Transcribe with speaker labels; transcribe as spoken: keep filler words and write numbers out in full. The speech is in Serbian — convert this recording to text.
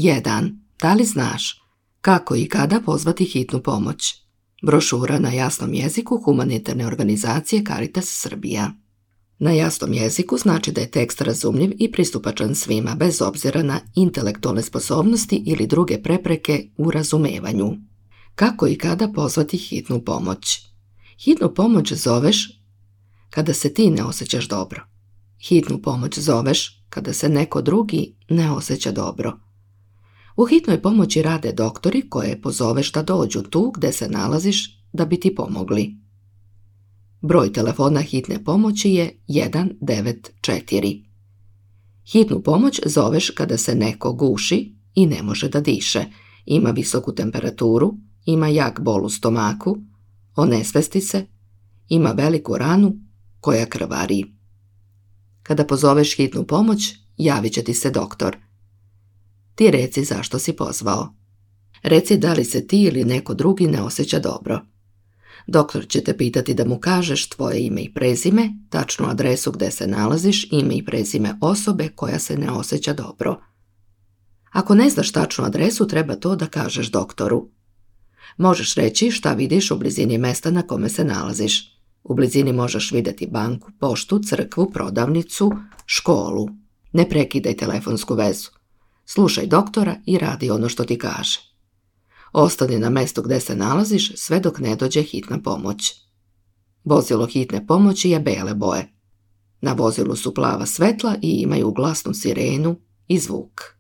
Speaker 1: jedan. Da li znaš kako i kada pozvati hitnu pomoć? Brošura na jasnom jeziku humanitarne organizacije Caritas Srbija. Na jasnom jeziku znači da je tekst razumljiv i pristupačan svima, bez obzira na intelektualne sposobnosti ili druge prepreke u razumevanju. Kako i kada pozvati hitnu pomoć? Hitnu pomoć zoveš kada se ti ne osjećaš dobro. Hitnu pomoć zoveš kada se neko drugi ne osjeća dobro. U hitnoj pomoći rade doktori koje pozoveš da dođu tu gde se nalaziš da bi ti pomogli. Broj telefona hitne pomoći je jedan devet četiri. Hitnu pomoć zoveš kada se neko guši i ne može da diše, ima visoku temperaturu, ima jak bol u stomaku, onesvesti se, ima veliku ranu koja krvari. Kada pozoveš hitnu pomoć, javit će ti se doktor. Ti reci zašto si pozvao. Reci da li se ti ili neko drugi ne osjeća dobro. Doktor će te pitati da mu kažeš tvoje ime i prezime, tačnu adresu gde se nalaziš, ime i prezime osobe koja se ne osjeća dobro. Ako ne znaš tačnu adresu, treba to da kažeš doktoru. Možeš reći šta vidiš u blizini mesta na kome se nalaziš. U blizini možeš vidjeti banku, poštu, crkvu, prodavnicu, školu. Ne prekidaj telefonsku vezu. Slušaj doktora i radi ono što ti kaže. Ostani na mestu gde se nalaziš sve dok ne dođe hitna pomoć. Vozilo hitne pomoći je bele boje. Na vozilu su plava svetla i imaju glasnu sirenu i zvuk.